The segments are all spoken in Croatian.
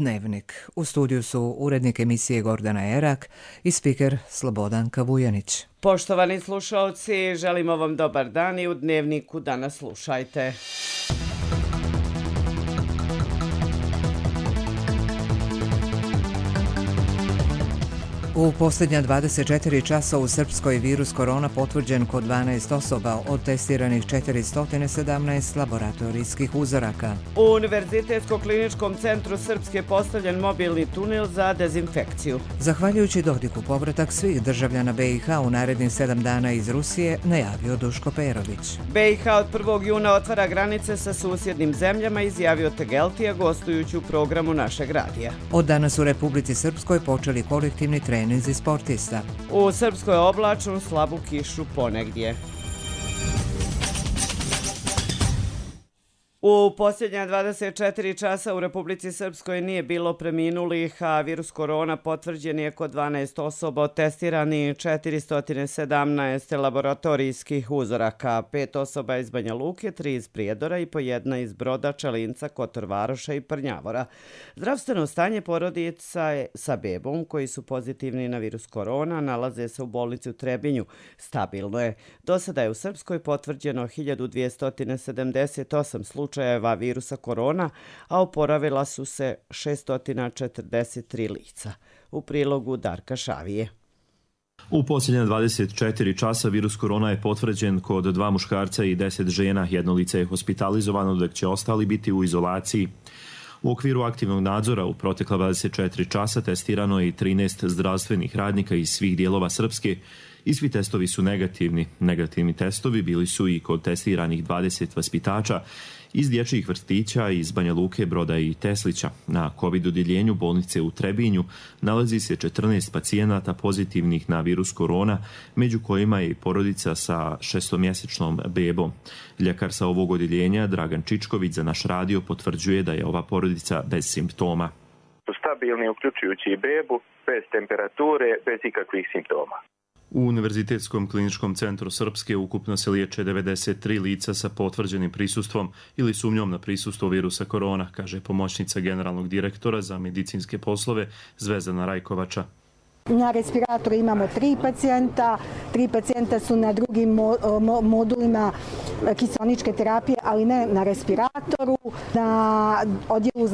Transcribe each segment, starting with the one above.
Dnevnik. U studiju su urednik emisije Gordana Erak i spiker Slobodanka Vujanić. Poštovani slušalci, želimo vam dobar dan i u Dnevniku danas slušajte. U posljednja 24 časa u Srpskoj virus korona potvrđen kod 12 osoba, od testiranih 417 laboratorijskih uzoraka. U Univerzitetsko-kliničkom centru Srpske postavljen mobilni tunel za dezinfekciju. Zahvaljujući Dodiku, povratak svih državljana BiH u narednih 7 dana iz Rusije najavio Duško Perović. BiH od 1. juna otvara granice sa susjednim zemljama, izjavio Tegeltija gostujući u programu našeg radija. Od danas u Republici Srpskoj počeli kolektivni treninzi sportista. U Srpskoj oblačno, slabu kišu ponegdje. U posljednja 24 časa u Republici Srpskoj nije bilo preminulih, a virus korona potvrđen je kod 12 osoba, testirani 417 laboratorijskih uzoraka, 5 osoba iz Banja Luke, 3 iz Prijedora i po 1 iz Broda, Čelinca, Kotor Varoša i Prnjavora. Zdravstveno stanje porodica sa bebom koji su pozitivni na virus korona nalaze se u bolnici u Trebinju. Stabilno je. Do sada je u Srpskoj potvrđeno 1278 slučajeva virusa korona, a oporavila su se 643 lica. U prilogu Darka Šavije. U posljednja 24 časa virus korona je potvrđen kod 2 muškarca i 10 žena. Jedno lice je hospitalizovano, dok će ostali biti u izolaciji. U okviru aktivnog nadzora u protekla 24 časa testirano je i 13 zdravstvenih radnika iz svih dijelova Srpske i svi testovi su negativni. Negativni testovi bili su i kod testiranih 20 vaspitača iz dječjih vrtića iz Banja Luke, Broda i Teslića. Na COVID odjeljenju bolnice u Trebinju nalazi se 14 pacijenata pozitivnih na virus korona, među kojima je i porodica sa 6-mjesečnom bebom. Ljekar sa ovog odjeljenja, Dragan Čičković, za naš radio potvrđuje da je ova porodica bez simptoma. Stabilni, uključujući i bebu, bez temperature, bez ikakvih simptoma. U Univerzitetskom kliničkom centru Srpske ukupno se liječe 93 lica sa potvrđenim prisustvom ili sumnjom na prisustvo virusa korona, kaže pomoćnica generalnog direktora za medicinske poslove Zvezdana Rajkovača. Na respiratoru imamo 3 pacijenta, 3 pacijenta su na drugim modulima kiseoničke terapije, ali ne na respiratoru. Na odjelu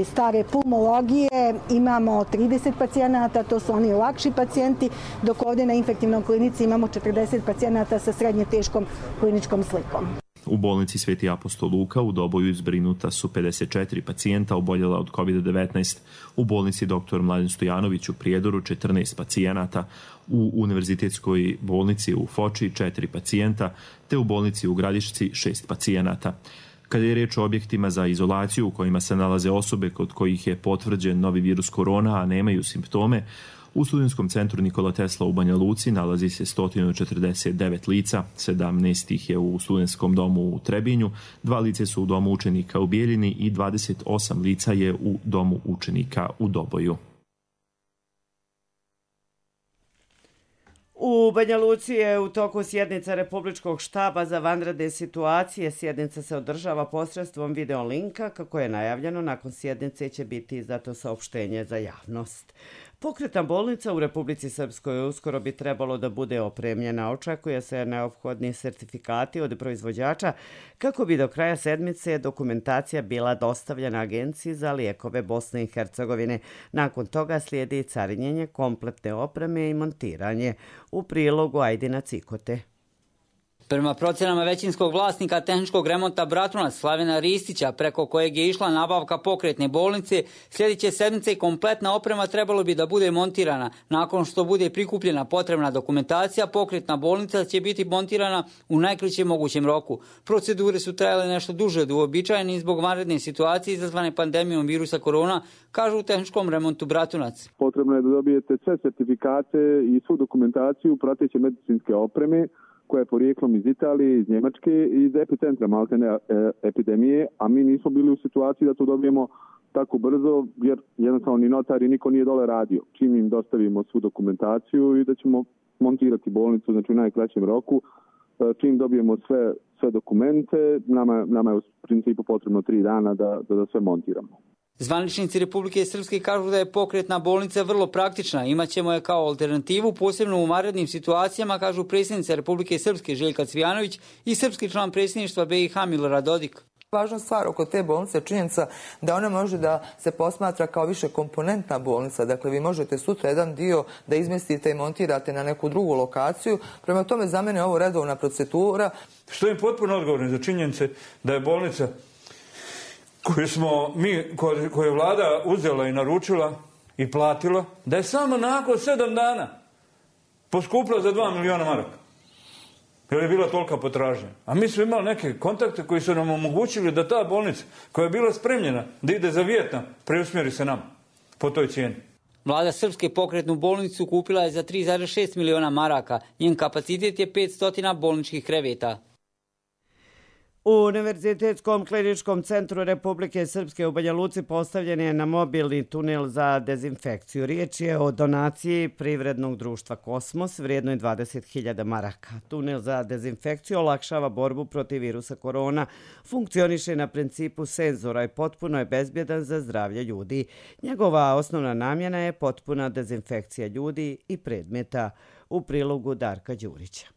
stare pulmologije imamo 30 pacijenata, to su oni lakši pacijenti, dok ovdje na infektivnom klinici imamo 40 pacijenata sa srednje teškom kliničkom slikom. U bolnici Sveti apostol Luka u Doboju zbrinuta su 54 pacijenta oboljela od COVID-19. U bolnici dr. Mladen Stojanović u Prijedoru 14 pacijenata. U univerzitetskoj bolnici u Foči 4 pacijenta, te u bolnici u Gradišci 6 pacijenata. Kada je riječ o objektima za izolaciju u kojima se nalaze osobe kod kojih je potvrđen novi virus korona, a nemaju simptome, u Studentskom centru Nikola Tesla u Banja Luci nalazi se 149 lica, 17 ih je u Studentskom domu u Trebinju, 2 lice su u domu učenika u Bijeljini i 28 lica je u domu učenika u Doboju. U Banja Luci je u toku sjednica Republičkog štaba za vanredne situacije. Sjednica se održava posredstvom videolinka. Kako je najavljeno, nakon sjednice će biti izdato saopštenje za javnost. Pokretna bolnica u Republici Srpskoj uskoro bi trebalo da bude opremljena. Očekuje se neophodni sertifikati od proizvođača kako bi do kraja sedmice dokumentacija bila dostavljena Agenciji za lijekove Bosne i Hercegovine. Nakon toga slijedi carinjenje kompletne opreme i montiranje. U prilogu Ajdina Cikote. Prema procjenama većinskog vlasnika tehničkog remonta Bratunac Slavena Ristića, preko kojeg je išla nabavka pokretne bolnice, sljedeće sedmice i kompletna oprema trebalo bi da bude montirana. Nakon što bude prikupljena potrebna dokumentacija, pokretna bolnica će biti montirana u najkraćem mogućem roku. Procedure su trajale nešto duže od uobičajenih zbog vanredne situacije izazvane pandemijom virusa korona, kažu u tehničkom remontu Bratunac. Potrebno je da dobijete sve sertifikate i svu dokumentaciju prateće medicinske opreme, koja je porijeklom iz Italije, iz Njemačke i iz epicentra maltene epidemije, a mi nismo bili u situaciji da to dobijemo tako brzo, jer jednostavno ni notar i niko nije dole radio. Čim im dostavimo svu dokumentaciju i da ćemo montirati bolnicu, znači u najkraćem roku, čim dobijemo sve dokumente, nama je u principu potrebno 3 dana da sve montiramo. Zvaničnici Republike Srpske kažu da je pokretna bolnica vrlo praktična. Imaćemo je kao alternativu, posebno u vanrednim situacijama, kažu predsjednica Republike Srpske Željka Cvijanović i srpski član predsjedništva BiH Milorad Dodik. Važna stvar oko te bolnice je činjenica da ona može da se posmatra kao više komponentna bolnica. Dakle, vi možete sutra jedan dio da izmestite i montirate na neku drugu lokaciju. Prema tome, za mene je ovo redovna procedura. Što je potpuno odgovorno za činjenice da je bolnica koju je vlada uzela i naručila i platila, da je samo nakon 7 dana poskupila za 2 miliona maraka. Jer je bila tolika potražnja. A mi smo imali neke kontakte koji su nam omogućili da ta bolnica koja je bila spremljena da ide za Vijetnam preusmjeri se nama po toj cijeni. Vlada Srpske pokretnu bolnicu kupila je za 3,6 miliona maraka. Njen kapacitet je 500 bolničkih kreveta. U Univerzitetskom kliničkom centru Republike Srpske u Banja Luci postavljen je na mobilni tunel za dezinfekciju. Riječ je o donaciji privrednog društva Kosmos vrijednoj 20.000 maraka. Tunel za dezinfekciju olakšava borbu protiv virusa korona, funkcioniše na principu senzora i potpuno je bezbjedan za zdravlje ljudi. Njegova osnovna namjena je potpuna dezinfekcija ljudi i predmeta. U prilogu Darka Đurića.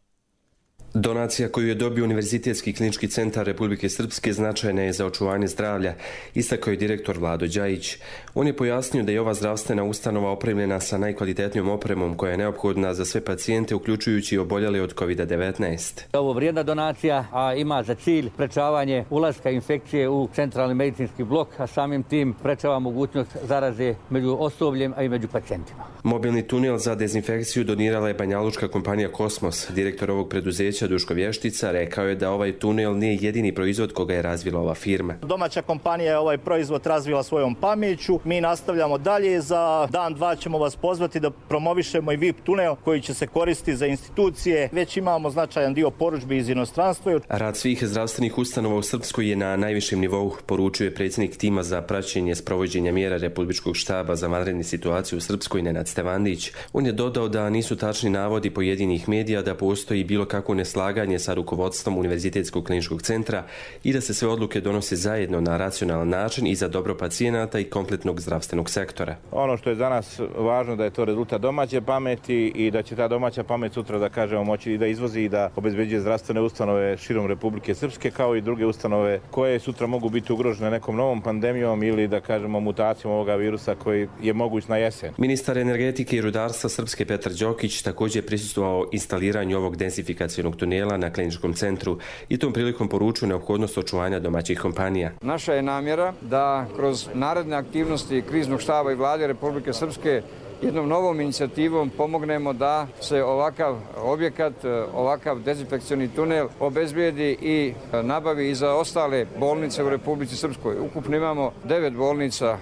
Donacija koju je dobio Univerzitetski klinički centar Republike Srpske značajna je za očuvanje zdravlja, istakao je direktor Vlado Đajić. On je pojasnio da je ova zdravstvena ustanova opremljena sa najkvalitetnijom opremom koja je neophodna za sve pacijente, uključujući i oboljele od COVID-19. Ovo vrijedna donacija, a ima za cilj sprečavanje ulaska infekcije u centralni medicinski blok, a samim tim sprečava mogućnost zaraze među osobljem, a i među pacijentima. Mobilni tunel za dezinfekciju donirala je banjalučka kompanija Kosmos. Direktor ovog preduzeća Duško Vještica rekao je da ovaj tunel nije jedini proizvod koga je razvila ova firma. Domaća kompanija je ovaj proizvod razvila svojom pameću. Mi nastavljamo dalje. Za dan, dva ćemo vas pozvati da promovišemo i VIP tunel koji će se koristiti za institucije. Već imamo značajan dio porudžbi iz inostranstva. Rad svih zdravstvenih ustanova u Srpskoj je na najvišem nivou, poručio je predsjednik tima za praćenje sprovođenja mjera Republičkog štaba za vanredne situacije u Srpskoj Nenad Stevandić. On je dodao da nisu tačni navodi pojedinih medija da postoji bilo kako neslaganje sa rukovodstvom Univerzitetskog kliničkog centra i da se sve odluke donose zajedno na racionalan način i za dobro pacijenata i kompletnog zdravstvenog sektora. Ono što je za nas važno da je to rezultat domaće pameti i da će ta domaća pamet sutra, da kažemo, moći i da izvozi i da obezbeđuje zdravstvene ustanove širom Republike Srpske, kao i druge ustanove koje sutra mogu biti ugrožene nekom novom pandemijom ili, da kažemo, mutacijom ovoga virusa koji je moguć na jesen. Ministar energetike i rudarstva Srpske Petar Đokić također prisustvovao instaliranju ovog densifikacionog tunela na kliničkom centru i tom prilikom poručuju neophodnost očuvanja domaćih kompanija. Naša je namjera da kroz naredne aktivnosti kriznog štaba i vlade Republike Srpske jednom novom inicijativom pomognemo da se ovakav objekat, ovakav dezinfekcioni tunel obezbijedi i nabavi i za ostale bolnice u Republici Srpskoj. Ukupno imamo 9 bolnica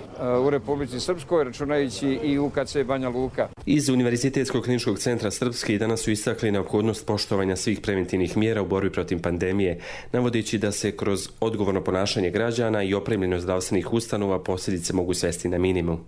u Republici Srpskoj, računajući i UKC Banja Luka. Iz Univerzitetskog kliničkog centra Srpske danas su istakli neophodnost poštovanja svih preventivnih mjera u borbi protiv pandemije, navodeći da se kroz odgovorno ponašanje građana i opremljenost zdravstvenih ustanova posljedice mogu svesti na minimum.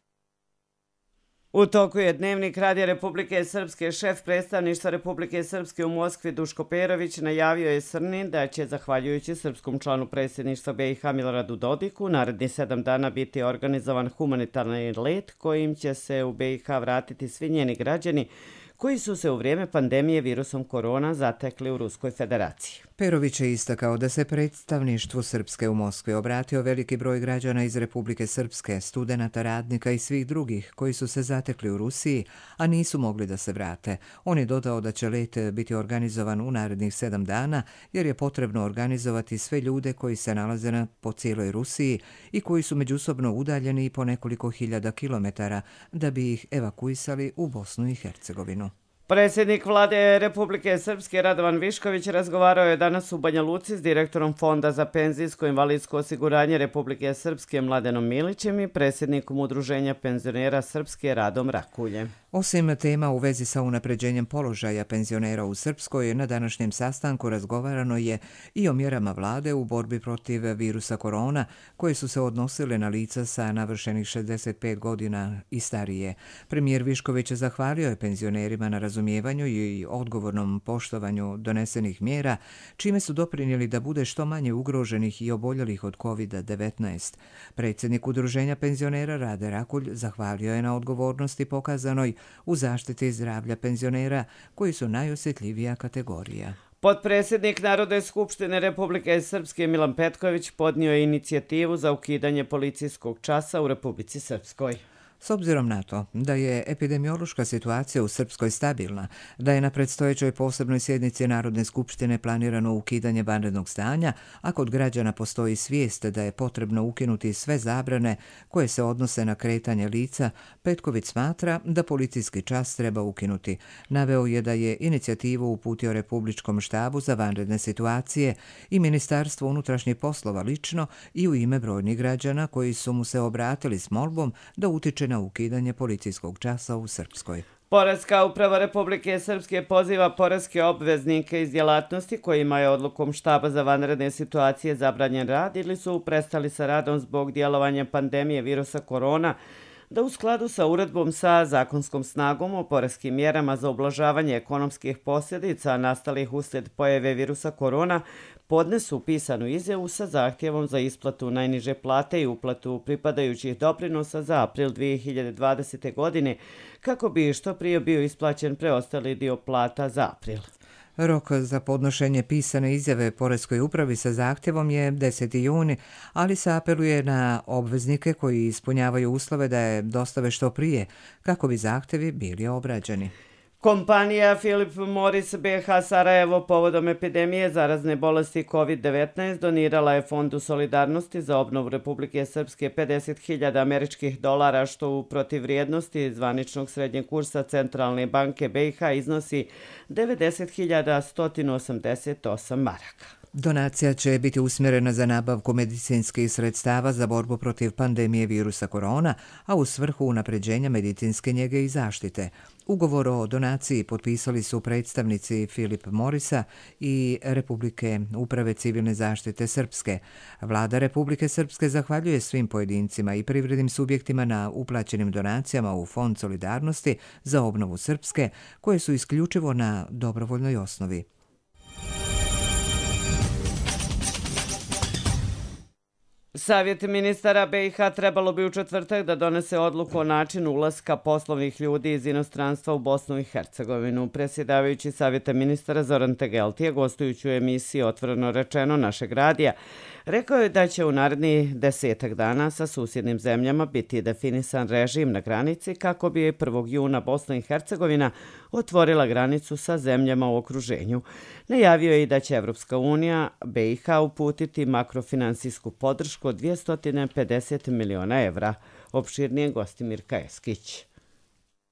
U toku je Dnevnik Radija Republike Srpske. Šef predstavništva Republike Srpske u Moskvi Duško Perović najavio je Srnin da će, zahvaljujući srpskom članu predsjedništva BiH Miloradu Dodiku, naredni 7 dana biti organizovan humanitarni let kojim će se u BiH vratiti svi njeni građani koji su se u vrijeme pandemije virusom korona zatekli u Ruskoj federaciji. Perović je istakao da se predstavništvu Srpske u Moskvi obratio veliki broj građana iz Republike Srpske, studenata, radnika i svih drugih koji su se zatekli u Rusiji, a nisu mogli da se vrate. On je dodao da će let biti organizovan u narednih 7 dana, jer je potrebno organizovati sve ljude koji se nalaze po cijeloj Rusiji i koji su međusobno udaljeni po nekoliko hiljada kilometara da bi ih evakuisali u Bosnu i Hercegovinu. Predsjednik vlade Republike Srpske Radovan Višković razgovarao je danas u Banja Luci s direktorom Fonda za penzijsko i invalidsko osiguranje Republike Srpske Mladenom Milićem i predsjednikom Udruženja penzionera Srpske Radom Rakuljem. Osim tema u vezi sa unapređenjem položaja penzionera u Srpskoj, na današnjem sastanku razgovarano je i o mjerama vlade u borbi protiv virusa korona, koje su se odnosile na lica sa navršenih 65 godina i starije. Premijer Višković zahvalio je penzionerima na razumijevanju razumijevanju i odgovornom poštovanju donesenih mjera, čime su doprinijeli da bude što manje ugroženih i oboljelih od COVID-19. Predsjednik Udruženja penzionera Rade Rakulj zahvalio je na odgovornosti pokazanoj u zaštiti zdravlja penzionera, koji su najosjetljivija kategorija. Potpredsjednik Narodne skupštine Republike Srpske Milan Petković podnio je inicijativu za ukidanje policijskog časa u Republici Srpskoj. S obzirom na to da je epidemiološka situacija u Srpskoj stabilna, da je na predstojećoj posebnoj sjednici Narodne skupštine planirano ukidanje vanrednog stanja, a kod građana postoji svijest da je potrebno ukinuti sve zabrane koje se odnose na kretanje lica, Petković smatra da policijski čas treba ukinuti. Naveo je da je inicijativu uputio Republičkom štabu za vanredne situacije i Ministarstvo unutrašnjih poslova lično i u ime brojnih građana koji su mu se obratili s molbom da utiče na ukidanje policijskog časa u Srpskoj. Poreska uprava Republike Srpske poziva poreske obveznike iz djelatnosti kojima je odlukom štaba za vanredne situacije zabranjen rad ili su prestali sa radom zbog djelovanja pandemije virusa korona, da u skladu sa uredbom sa zakonskom snagom o poreskim mjerama za ublažavanje ekonomskih posljedica nastalih uslijed pojave virusa korona podnesu pisanu izjavu sa zahtjevom za isplatu najniže plate i uplatu pripadajućih doprinosa za april 2020. godine kako bi što prije bio isplaćen preostali dio plata za april. Rok za podnošenje pisane izjave Poreskoj upravi sa zahtjevom je 10. juni, ali se apeluje na obveznike koji ispunjavaju uslove da je dostave što prije, kako bi zahtjevi bili obrađeni. Kompanija Philip Morris BH Sarajevo povodom epidemije zarazne bolesti COVID-19 donirala je Fondu solidarnosti za obnovu Republike Srpske $50.000 američkih, što u protivvrijednosti zvaničnog srednjeg kursa Centralne banke BiH iznosi 90.188 maraka. Donacija će biti usmjerena za nabavku medicinskih sredstava za borbu protiv pandemije virusa korona, a u svrhu unapređenja medicinske njege i zaštite. Ugovor o donaciji potpisali su predstavnici Philip Morrisa i Republike uprave civilne zaštite Srpske. Vlada Republike Srpske zahvaljuje svim pojedincima i privrednim subjektima na uplaćenim donacijama u Fond solidarnosti za obnovu Srpske, koje su isključivo na dobrovoljnoj osnovi. Savjet ministara BiH trebalo bi u četvrtak da donese odluku o načinu ulaska poslovnih ljudi iz inostranstva u Bosnu i Hercegovinu. Predsjedavajući Savjeta ministara Zoran Tegeltije, gostujući u emisiji Otvoreno rečeno našeg radija, rekao je da će u narednih 10 dana sa susjednim zemljama biti definisan režim na granici kako bi 1. juna Bosna i Hercegovina otvorila granicu sa zemljama u okruženju. Najavio je i da će Evropska unija BiH uputiti makrofinansijsku podršku od 250 miliona evra. Opširnije Gostimir Kajeskić.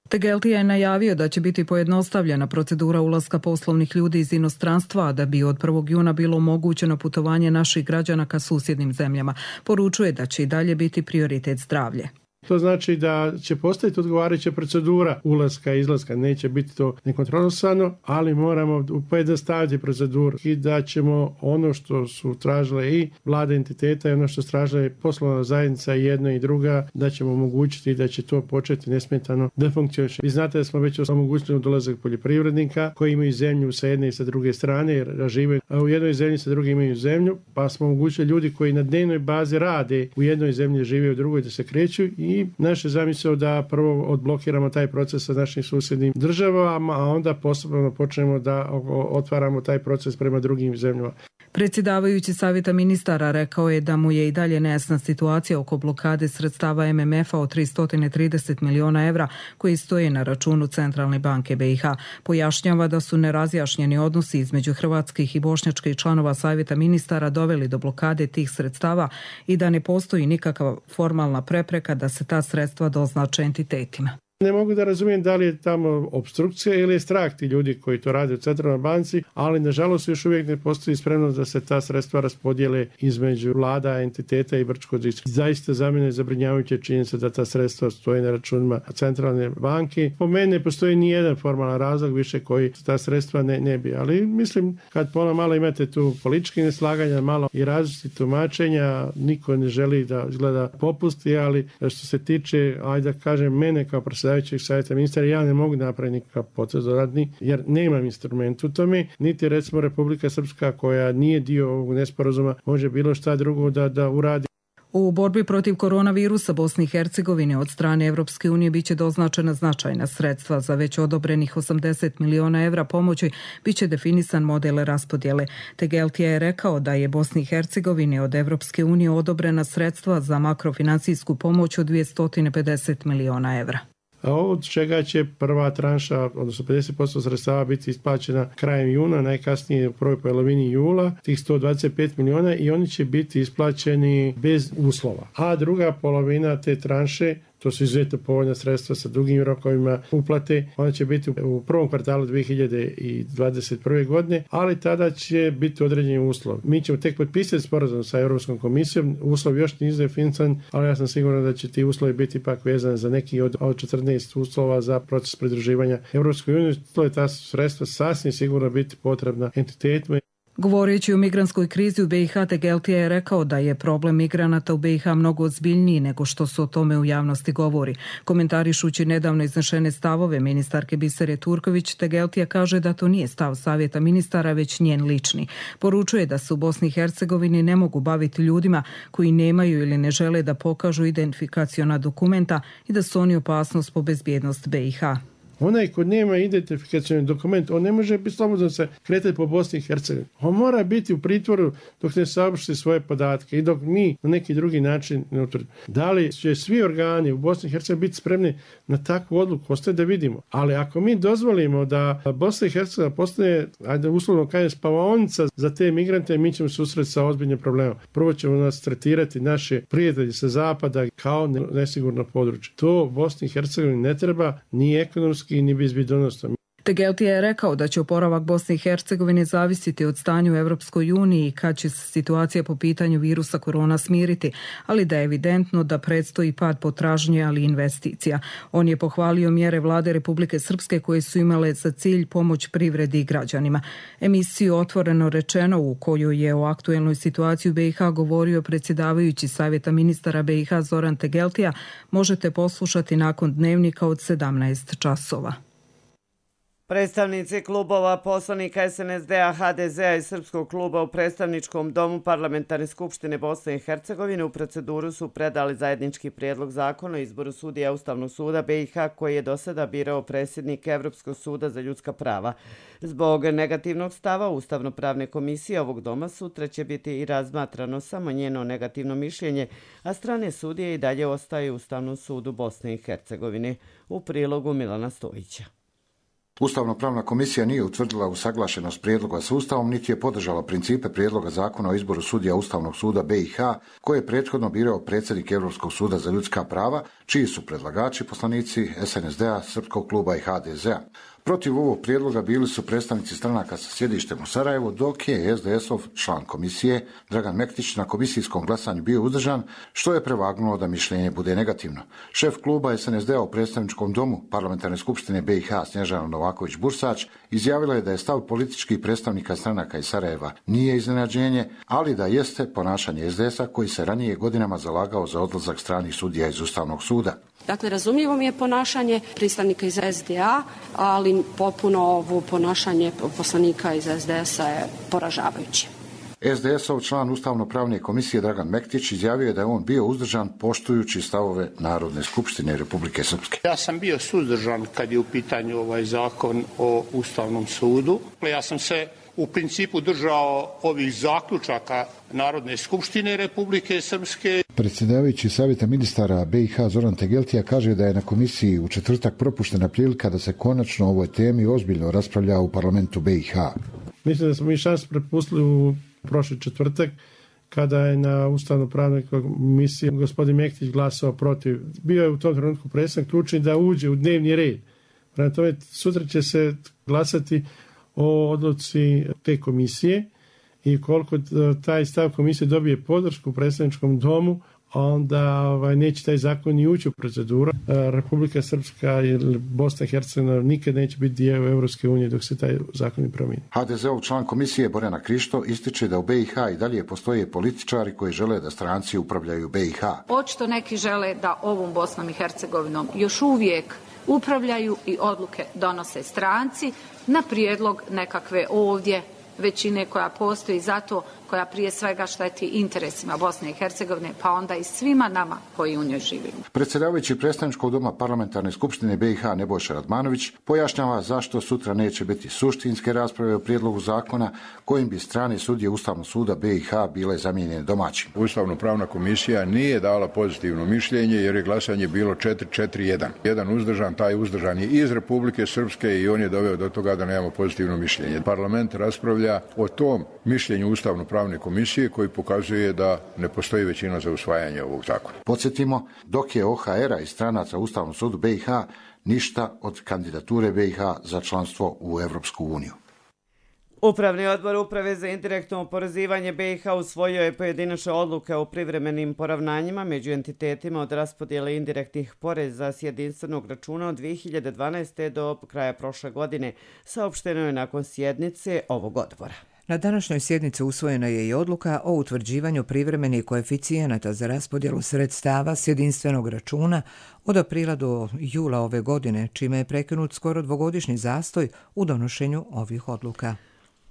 Tegeltija je najavio da će biti pojednostavljena procedura ulaska poslovnih ljudi iz inostranstva, da bi od 1. juna bilo omogućeno putovanje naših građana ka susjednim zemljama. Poručuje da će i dalje biti prioritet zdravlje. To znači da će postaviti odgovarajuća procedura ulaska i izlaska. Neće biti to nekontrolisano, ali moramo pojednostaviti proceduru i da ćemo ono što su tražile i vlade entiteta i ono što su tražile poslovna zajednica jedna i druga, da ćemo omogućiti da će to početi nesmetano da funkcioniše. Vi znate da smo već omogućili dolazak poljoprivrednika koji imaju zemlju sa jedne i sa druge strane, jer žive u jednoj zemlji, sa druge imaju zemlju, pa smo omogućili ljudi koji na dnevnoj bazi rade u jednoj zemlji, žive u drugoj, da se kreću i naše zamisao da prvo odblokiramo taj proces sa našim susjednim državama, a onda postupno počnemo da otvaramo taj proces prema drugim zemljama. Predsjedavajući Savjeta ministara rekao je da mu je i dalje nejasna situacija oko blokade sredstava MMF-a od 330 miliona evra koji stoje na računu Centralne banke BiH. Pojašnjava da su nerazjašnjeni odnosi između hrvatskih i bošnjačkih članova Savjeta ministara doveli do blokade tih sredstava i da ne postoji nikakva formalna prepreka da se ta sredstva doznače entitetima. Ne mogu da razumijem da li je tamo opstrukcija ili je strah ti ljudi koji to rade u Centralnoj banci, ali nažalost još uvijek ne postoji spremnost da se ta sredstva raspodijele između vlada, entiteta i Brčko-Drijske. Zaista za mene je zabrinjavajuća činjenica da ta sredstva stoje na računima Centralne banke. Po meni ne postoji ni jedan formalan razlog više koji ta sredstva ne bi, ali mislim kad malo imate tu političke neslaganja, malo i različitih tumačenja, niko ne želi da izgleda popusti, ali što se tiče, ajde da kažem, mene kao predsjedavajući predsjedavajućeg savjeta ministara, ja ne mogu napraviti nikakav potez dodatni, jer nemam instrument u tome, niti recimo Republika Srpska koja nije dio ovog nesporazuma može bilo šta drugo da uradi. U borbi protiv koronavirusa Bosni i Hercegovine od strane Evropske unije biće doznačena značajna sredstva. Za već odobrenih 80 miliona evra pomoći biće definisan model raspodjele. Tegeltija je rekao da je Bosni i Hercegovini od Evropske unije odobrena sredstva za makrofinansijsku pomoć od 250 miliona evra. A od čega će prva tranša, odnosno 50% sredstava biti isplaćena krajem juna, najkasnije u prvoj polovini jula, tih 125 miliona, i oni će biti isplaćeni bez uslova. A druga polovina te tranše, to su izuzetno povoljna sredstva sa dugim rokovima uplate, ona će biti u prvom kvartalu 2021. godine, ali tada će biti određeni uslov. Mi ćemo tek potpisati sporazum sa Europskom komisijom, uslov još nije definisan, ali ja sam siguran da će ti uslovi biti ipak vezani za neki od 14 uslova za proces pridruživanja Europskoj uniji. To je ta sredstva sasvim sigurno biti potrebna entitetima. Govoreći o migrantskoj krizi u BiH, Tegeltija je rekao da je problem migranata u BiH mnogo ozbiljniji nego što se o tome u javnosti govori. Komentarišući nedavno iznešene stavove ministarke Bisere Turković, Tegeltija kaže da to nije stav savjeta ministara, već njen lični. Poručuje da se u Bosni i Hercegovini ne mogu baviti ljudima koji nemaju ili ne žele da pokažu identifikaciona dokumenta i da su oni opasnost po bezbjednost BiH. Onaj ko nema identifikacioni dokument, on ne može biti slobodno se kretati po Bosni i Hercegovini. On mora biti u pritvoru dok ne saopšti svoje podatke i dok mi na neki drugi način ne utvrdimo. Da li će svi organi u Bosni i Hercegovini biti spremni na takvu odluku, ostaje da vidimo. Ali ako mi dozvolimo da Bosna i Hercegovina postane, ajde uslovno kažem, spavaonica za te migrante, mi ćemo se susreti sa ozbiljnim problemom. Prvo ćemo nas tretirati naše prijatelji sa zapada kao nesigurno područje. To Bosni i Hercegovini ne treba ni ekonomski ni bezbjednosno. Tegeltija je rekao da će oporavak Bosne i Hercegovine zavisiti od stanja u Evropskoj uniji i kad će se situacija po pitanju virusa korona smiriti, ali da je evidentno da predstoji pad potražnje, ali i investicija. On je pohvalio mjere vlade Republike Srpske koje su imale za cilj pomoć privredi i građanima. Emisiju Otvoreno rečeno, u kojoj je o aktuelnoj situaciji u BiH govorio predsjedavajući savjeta ministara BiH Zoran Tegeltija, možete poslušati nakon dnevnika od 17 časova. Predstavnici klubova poslanika SNSD-a, HDZ-a i Srpskog kluba u predstavničkom domu Parlamentarne skupštine Bosne i Hercegovine u proceduru su predali zajednički prijedlog zakona o izboru sudija Ustavnog suda BiH koji je do sada birao predsjednik Evropskog suda za ljudska prava. Zbog negativnog stava Ustavno-pravne komisije ovog doma sutra će biti i razmatrano samo njeno negativno mišljenje, a strane sudije i dalje ostaju u Ustavnom sudu Bosne i Hercegovine. U prilogu Milana Stojića. Ustavno-pravna komisija nije utvrdila usaglašenost prijedloga s Ustavom, niti je podržala principe prijedloga zakona o izboru sudija Ustavnog suda BiH, koje je prethodno birao predsjednik Europskog suda za ljudska prava, čiji su predlagači poslanici SNSD-a, Srpskog kluba i HDZ-a. Protiv ovog prijedloga bili su predstavnici stranaka sa sjedištem u Sarajevu, dok je SDS-ov član komisije Dragan Mektić na komisijskom glasanju bio uzdržan, što je prevagnulo da mišljenje bude negativno. Šef kluba SNSD-a u predstavničkom domu Parlamentarne skupštine BiH Snježana Novaković-Bursač izjavila je da je stav političkih predstavnika stranaka iz Sarajeva nije iznenađenje, ali da jeste ponašanje SDS-a koji se ranije godinama zalagao za odlazak stranih sudija iz Ustavnog suda. Dakle, razumljivo mi je ponašanje predstavnika iz SDA, ali popuno ovo ponašanje poslanika iz SDS-a je poražavajuće. SDS-ov član Ustavno-pravne komisije Dragan Mektić izjavio je da je on bio uzdržan poštujući stavove Narodne skupštine Republike Srpske. Ja sam bio suzdržan kad je u pitanju ovaj zakon o Ustavnom sudu. Ja sam se u principu držao ovih zaključaka Narodne skupštine Republike Srpske. Predsjedavajući savjeta ministara BiH Zoran Tegeltija kaže da je na komisiji u četvrtak propuštena prilika da se konačno o ovoj temi ozbiljno raspravlja u parlamentu BiH. Mislim da smo mi šansu prepustili u prošli četvrtak kada je na Ustavno-pravnoj komisiji gospodin Mektić glasao protiv. Bio je u tom trenutku predstavnik ključni da uđe u dnevni red. Prema tome, sutra će se glasati o odluci te komisije i koliko taj stav komisije dobije podršku u predstavničkom domu, onda neće taj zakon ni ući u proceduru. Republika Srpska ili Bosna i Hercegovina nikad neće biti dio Evropske unije dok se taj zakon ne promijeni. HDZ-ov član komisije Borjana Krišto ističe da u BiH i dalje postoje političari koji žele da stranci upravljaju BiH. Očito neki žele da ovom Bosnom i Hercegovinom još uvijek upravljaju i odluke donose stranci na prijedlog nekakve ovdje većine koja postoji zato, koja prije svega šteti interesima Bosne i Hercegovine, pa onda i svima nama koji u njoj živimo. Predsjedavajući predstavničkog doma Parlamentarne skupštine BiH Nebojša Radmanović pojašnjava zašto sutra neće biti suštinske rasprave o prijedlogu zakona kojim bi strane sudije Ustavnog suda BiH bile zamijenjene domaćim. Ustavno-pravna komisija nije dala pozitivno mišljenje jer je glasanje bilo 4-4-1. Jedan uzdržan, taj uzdržan je iz Republike Srpske i on je doveo do toga da nemamo pozitivno mišljenje. Parlament raspravlja o tom mišljenju Ustavno-pravne komisije koji pokazuje da ne postoji većina za usvajanje ovog zakona. Podsjetimo, dok je OHR-a i stranaca Ustavnom sudu BiH ništa od kandidature BiH za članstvo u Evropsku uniju. Upravni odbor Uprave za indirektno oporezivanje BiH usvojio je pojedinačne odluke o privremenim poravnanjima među entitetima od raspodjele indirektnih poreza s jedinstvenog računa od 2012. do kraja prošle godine, saopšteno je nakon sjednice ovog odbora. Na današnjoj sjednici usvojena je i odluka o utvrđivanju privremenih koeficijenata za raspodjelu sredstava s jedinstvenog računa od aprila do jula ove godine, čime je prekinut skoro dvogodišnji zastoj u donošenju ovih odluka.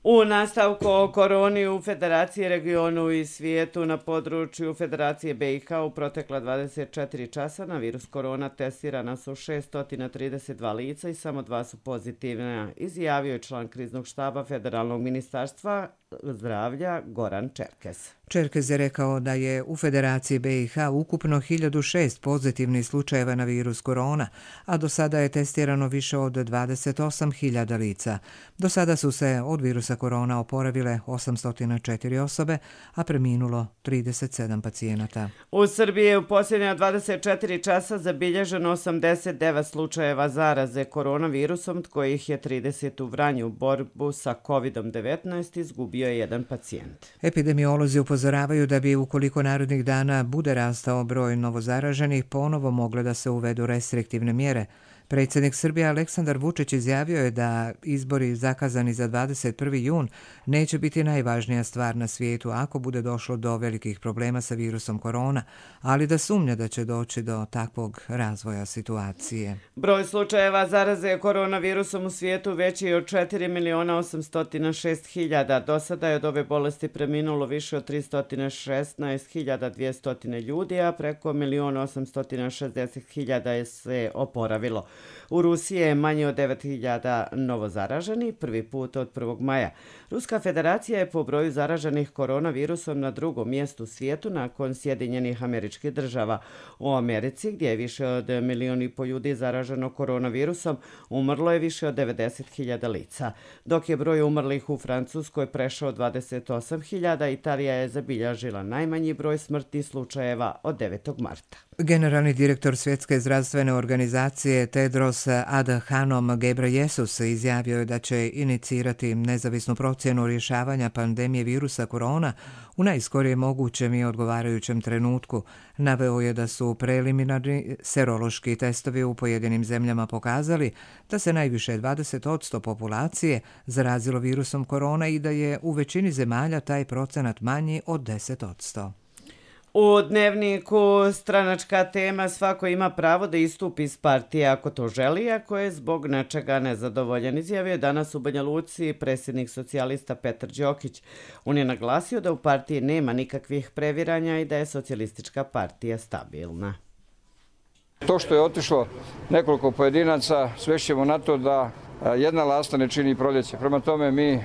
U nastavku o koroni u Federaciji, regionu i svijetu na području Federacije BiH u protekla 24 časa na virus korona testirana su 632 lica i samo 2 su pozitivna, izjavio je član kriznog štaba Federalnog ministarstva zdravlja Goran Čerkez. Čerkez je rekao da je u Federaciji BiH ukupno 1006 pozitivnih slučajeva na virus korona, a do sada je testirano više od 28.000 lica. Do sada su se od virusa korona oporavile 804 osobe, a preminulo 37 pacijenata. U Srbiji je u posljednja 24 časa zabilježeno 89 slučajeva zaraze koronavirusom, od kojih je 30 u Vranju. U borbu sa COVID-19 izgubio je jedan pacijent. Epidemiolozi upozoravaju da bi ukoliko narednih dana bude rastao broj novozaraženih, ponovo mogle da se uvedu restriktivne mjere. Predsjednik Srbije Aleksandar Vučić izjavio je da izbori zakazani za 21. jun neće biti najvažnija stvar na svijetu ako bude došlo do velikih problema sa virusom korona, ali da sumnja da će doći do takvog razvoja situacije. Broj slučajeva zaraze koronavirusom u svijetu veći je od 4.806.000. Do sada je od ove bolesti preminulo više od 316.200 ljudi, a preko 1.860.000 je se oporavilo. U Rusiji je manje od 9.000 novozaraženih, prvi put od 1. maja. Ruska federacija je po broju zaraženih koronavirusom na drugom mjestu u svijetu nakon Sjedinjenih Američkih Država. U Americi, gdje je više od 1,5 milijuna ljudi zaraženo koronavirusom, umrlo je više od 90.000 lica. Dok je broj umrlih u Francuskoj prešao 28.000, Italija je zabilježila najmanji broj smrtnih slučajeva od 9. marta. Generalni direktor Svjetske zdravstvene organizacije Tedros Adhanom Ghebreyesus izjavio je da će inicirati nezavisnu procjenu rješavanja pandemije virusa korona u najskorijem mogućem i odgovarajućem trenutku. Naveo je da su preliminarni serološki testovi u pojedinim zemljama pokazali da se najviše 20% populacije zarazilo virusom korona i da je u većini zemalja taj procenat manji od 10%. U Dnevniku stranačka tema svako ima pravo da istupi iz partije ako to želi, ako je zbog nečega nezadovoljan, izjavio je danas u Banja Luci predsjednik socijalista Petar Đokić. On je naglasio da u partiji nema nikakvih previranja i da je socijalistička partija stabilna. To što je otišlo nekoliko pojedinaca, svešćemo na to da jedna lasta ne čini proljeće. Prema tome mi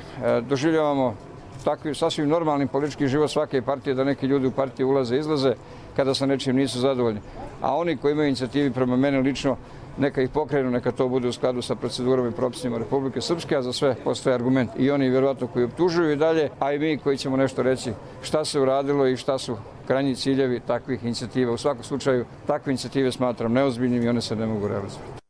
doživljavamo takvi sasvim normalnim politički život svake partije, da neki ljudi u partije ulaze i izlaze kada sa nečim nisu zadovoljni. A oni koji imaju inicijativi prema mene lično, neka ih pokrenu, neka to bude u skladu sa procedurama i propisima Republike Srpske, a za sve postoje argument. I oni vjerovatno koji optužuju i dalje, a i mi koji ćemo nešto reći šta se uradilo i šta su krajnji ciljevi takvih inicijativa. U svakom slučaju, takve inicijative smatram neozbiljnim i one se ne mogu realizovati.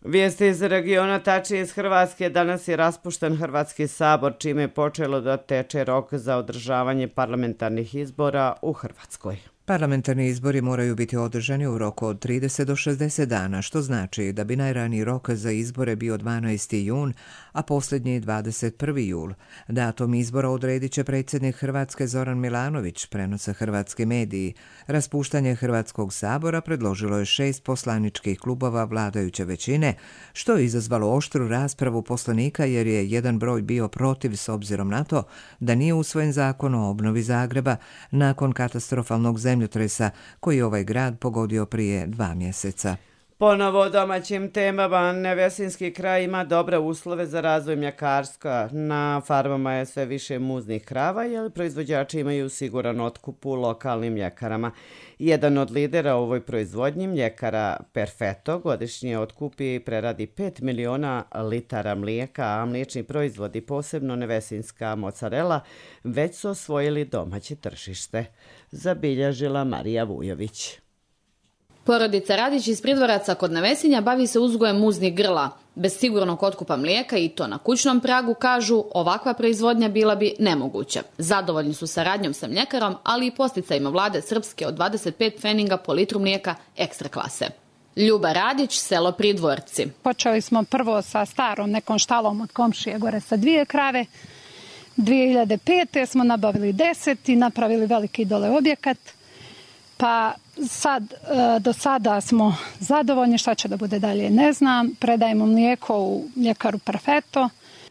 Vijesti iz regiona, tačnije iz Hrvatske. Danas je raspušten Hrvatski sabor, čime je počelo da teče rok za održavanje parlamentarnih izbora u Hrvatskoj. Parlamentarni izbori moraju biti održani u roku od 30 do 60 dana, što znači da bi najraniji rok za izbore bio 12. jun, a posljednji 21. jul. Datum izbora odredit će predsjednik Hrvatske Zoran Milanović, prenose hrvatski mediji. Raspuštanje Hrvatskog sabora predložilo je 6 poslaničkih klubova vladajuće većine, što je izazvalo oštru raspravu poslanika jer je jedan broj bio protiv s obzirom na to da nije usvojen zakon o obnovi Zagreba nakon katastrofalnog zemljotresa koji je ovaj grad pogodio prije 2 mjeseca. Ponovo o domaćim temama. Nevesinski kraj ima dobre uslove za razvoj mljekarstva. Na farmama je sve više muznih krava, jer proizvođači imaju siguran otkup u lokalnim mljekarama. Jedan od lidera u ovoj proizvodnji, mljekara Perfetto, godišnje otkupi i preradi 5 miliona litara mlijeka, a mliječni proizvodi, posebno nevesinska mozzarella, već su osvojili domaće tržište. Zabilježila Marija Vujović. Porodica Radić iz Pridvoraca kod Nevesinja bavi se uzgojem muznih grla. Bez sigurnog otkupa mlijeka i to na kućnom pragu, kažu, ovakva proizvodnja bila bi nemoguća. Zadovoljni su saradnjom sa mljekarom, ali i posticajima vlade Srpske od 25 pfeninga po litru mlijeka ekstra klase. Ljuba Radić, selo Pridvorci. Počeli smo prvo sa starom nekom štalom od komšije gore sa 2 krave. 2005. smo nabavili 10 i napravili veliki dole objekat. Pa do sada smo zadovoljni, šta će da bude dalje ne znam. Predajemo mlijeko u mljekaru Perfetto.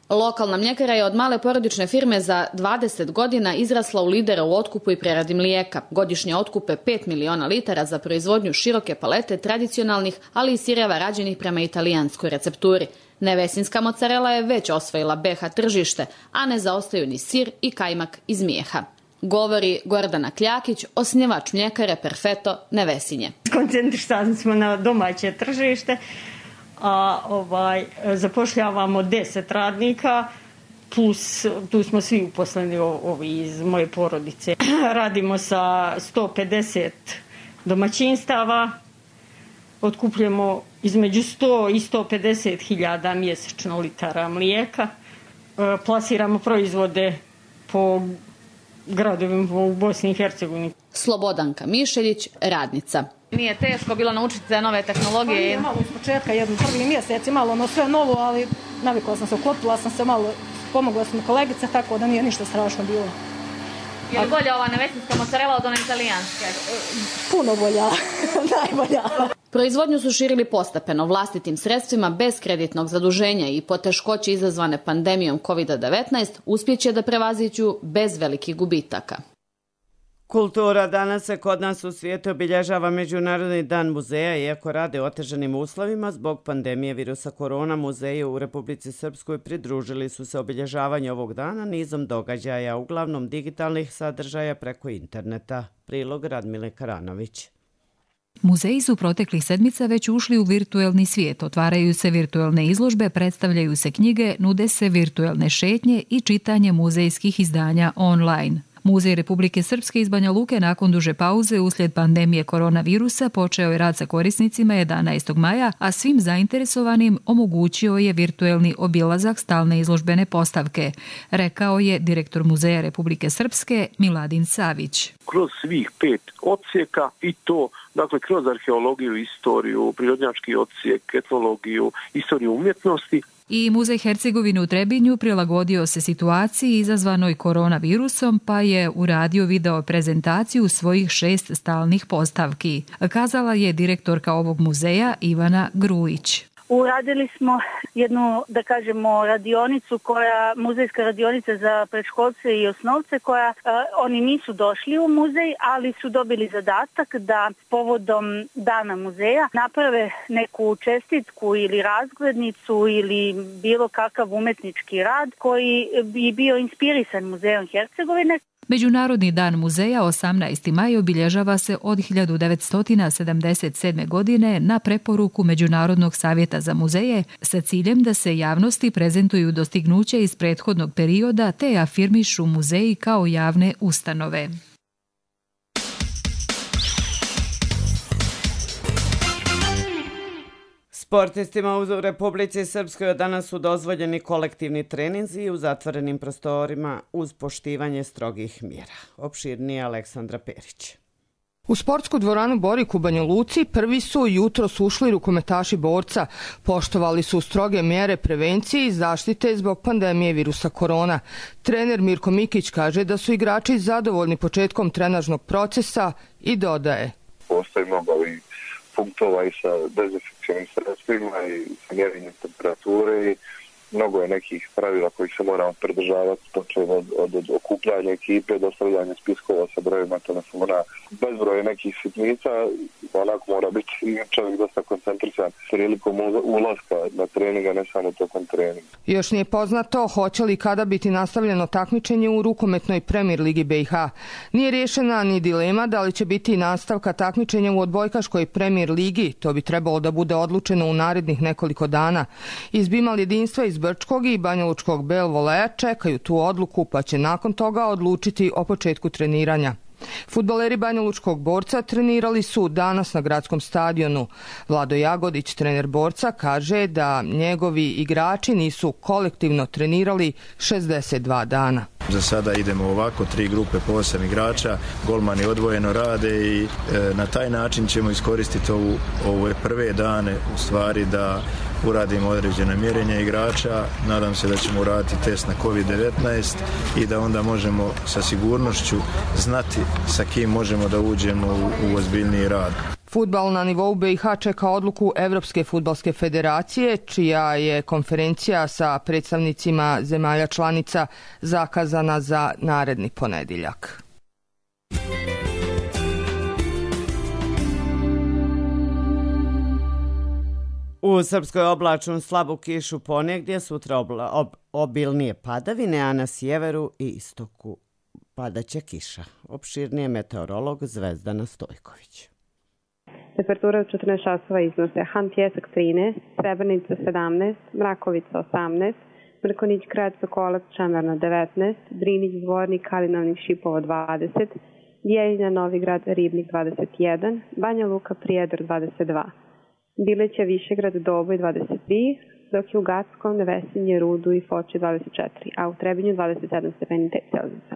Lokalna mljekara je od male porodične firme za 20 godina izrasla u lidera u otkupu i preradi mlijeka. Godišnje otkupe 5 miliona litara za proizvodnju široke palete tradicionalnih, ali i sireva rađenih prema italijanskoj recepturi. Nevesinska mozzarella je već osvojila BH tržište, a ne zaostaju ni sir i kajmak iz Mijeha. Govori Gordana Kljakić, osnivač mljekare Perfetto Nevesinje. Koncentrisani smo na domaće tržište, a zapošljavamo 10 radnika, plus tu smo svi uposleni iz moje porodice. Radimo sa 150 domaćinstava, otkupljujemo između 100 i 150 hiljada mjesečno litara mlijeka, plasiramo proizvode po gradovima u Bosni i Hercegovini. Slobodanka Mišeljić, radnica. Nije teško bilo naučiti te nove tehnologije? Malo iz početka, prvi mjesec, malo sve novo, ali navikla sam se, uklopila sam se malo, pomogla sam kolegica, tako da nije ništa strašno bilo. Je li bolja ova nevesinska mozzarella od one italijanske? Puno bolja, najbolja. Proizvodnju su širili postepeno vlastitim sredstvima bez kreditnog zaduženja i poteškoće izazvane pandemijom COVID-19 uspjeće da prevaziđu bez velikih gubitaka. Kultura danas se kod nas u svijetu obilježava Međunarodni dan muzeja, iako rade u otežanim uslovima zbog pandemije virusa korona. Muzeji u Republici Srpskoj pridružili su se obilježavanju ovog dana nizom događaja, uglavnom digitalnih sadržaja preko interneta. Prilog Radmile Karanović. Muzeji su proteklih sedmica već ušli u virtuelni svijet, otvaraju se virtuelne izložbe, predstavljaju se knjige, nude se virtuelne šetnje i čitanje muzejskih izdanja online. Muzej Republike Srpske iz Banja Luke nakon duže pauze uslijed pandemije koronavirusa počeo je rad sa korisnicima 11. maja, a svim zainteresovanim omogućio je virtuelni obilazak stalne izložbene postavke, rekao je direktor Muzeja Republike Srpske Miladin Savić. Kroz svih 5 odsjeka i to, dakle, kroz arheologiju, istoriju, prirodnjački odsjek, etnologiju, istoriju umjetnosti. I Muzej Hercegovine u Trebinju prilagodio se situaciji izazvanoj koronavirusom, pa je uradio video prezentaciju svojih 6 stalnih postavki, kazala je direktorka ovog muzeja Ivana Grujić. Uradili smo jednu, da kažemo, radionicu, muzejska radionica za predškolce i osnovce, oni nisu došli u muzej, ali su dobili zadatak da povodom dana muzeja naprave neku čestitku ili razglednicu ili bilo kakav umetnički rad koji bi bio inspirisan Muzejom Hercegovine. Međunarodni dan muzeja 18. maj obilježava se od 1977. godine na preporuku Međunarodnog savjeta za muzeje sa ciljem da se javnosti prezentuju dostignuća iz prethodnog perioda te afirmišu muzeji kao javne ustanove. Sportistima u Republici Srpskoj danas su dozvoljeni kolektivni treninzi u zatvorenim prostorima uz poštivanje strogih mjera. Opširnije Aleksandra Perić. U sportsku dvoranu Borik u Banja Luci prvi su jutros ušli rukometaši Borca. Poštovali su stroge mjere prevencije i zaštite zbog pandemije virusa korona. Trener Mirko Mikić kaže da su igrači zadovoljni početkom trenažnog procesa i dodaje. Postoji mnogo ovih punktova i sa dezinfekcijnim sredstvima i sa mjerenjem temperature i mnogo je nekih pravila kojih se moramo pridržavati, počev od okupljanja ekipe, dostavljanja spiskova sa brojima telefona, bezbroj je nekih sitnica, onako mora biti čovjek dosta koncentrisan prilikom ulaska na treninga, ne samo tokom treninga. Još nije poznato hoće li kada biti nastavljeno takmičenje u rukometnoj Premier ligi BiH. Nije riješena ni dilema da li će biti nastavka takmičenja u odbojkaškoj Premier ligi, to bi trebalo da bude odlučeno u narednih nekoliko dana. Iz Bimal jedinstva iz Brčkog i Banjalučkog Bel Voleja čekaju tu odluku, pa će nakon toga odlučiti o početku treniranja. Fudbaleri Banjalučkog Borca trenirali su danas na gradskom stadionu. Vlado Jagodić, trener Borca, kaže da njegovi igrači nisu kolektivno trenirali 62 dana. Za sada idemo ovako, 3 grupe po 8 igrača, golmani odvojeno rade i na taj način ćemo iskoristiti ove prve dane u stvari da uradimo određene mjerenja igrača. Nadam se da ćemo uraditi test na COVID-19 i da onda možemo sa sigurnošću znati sa kim možemo da uđemo u ozbiljniji rad. Fudbal na nivou BiH čeka odluku Evropske fudbalske federacije, čija je konferencija sa predstavnicima zemalja članica zakazana za naredni ponedjeljak. U Srpskoj oblačno slabu kišu ponegdje, sutra obilnije padavine, a na sjeveru i istoku padaće kiša. Opširnije meteorolog Zvezdana Stojković. Temperatura od 14 časova iznose Han Pjesak 13, Srebrenica 17, Mrakovica 18, Mrkonić Grad Sokolac Čamerna 19, Drinić Zvornik Kalinovnik Šipovo 20, Bijeljina Novigrad Ribnik 21, Banja Luka Prijedor 22, Bileća Višegrad Doboj 23, dok je u Gackom, Nevesinje, Rudu i Foči 24, a u Trebinju 27 stepeni Celzijusa.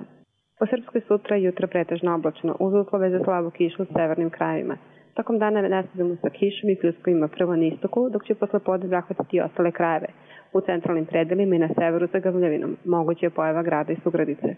Po Srpskoj sutra jutro pretežno oblačno, uz uslove za slabu kišu u severnim krajevima. Tokom dana nastavimo sa kišom i pljuskovima prvo na istoku, dok će posle podne zahvatiti ostale krajeve. U centralnim predelima i na severu sa gavljavinom. Moguće je pojava grada i sugradice.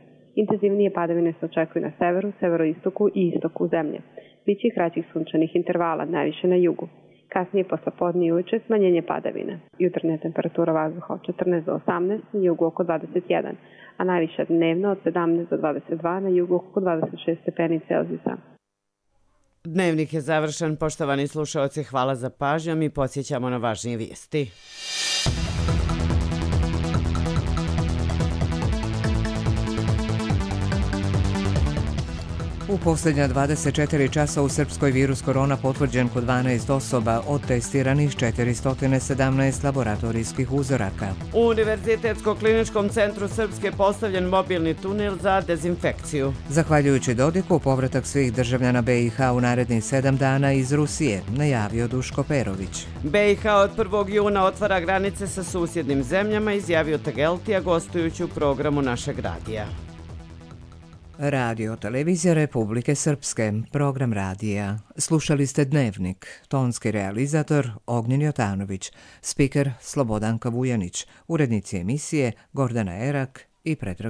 Intenzivnije padavine se očekuju na severu, severoistoku i istoku zemlje. Biće i kraćih sunčanih intervala, najviše na jugu. Kasnije posle podne i uveče smanjenje padavina. Jutarnja temperatura vazduha od 14 do 18, na jugu oko 21, a najviša dnevna od 17 do 22, na jugu oko 26 stepeni Celzijusa. Dnevnik je završen. Poštovani slušaoci, hvala za pažnju. Mi podsjećamo na važnije vijesti. U posljednja 24 časa u Srpskoj virus korona potvrđen kod 12 osoba, od testiranih 417 laboratorijskih uzoraka. U Univerzitetsko-kliničkom centru Srpske postavljen mobilni tunel za dezinfekciju. Zahvaljujući Dodiku, povratak svih državljana BiH u narednih 7 dana iz Rusije, najavio Duško Perović. BiH od 1. juna otvara granice sa susjednim zemljama, izjavio Tegeltija gostujući u programu našeg radija. Radio Televizija Republike Srpske, program radija. Slušali ste Dnevnik, tonski realizator Ognjen Jotanović, spiker Slobodanka Vujanić, urednici emisije Gordana Erak i Predrag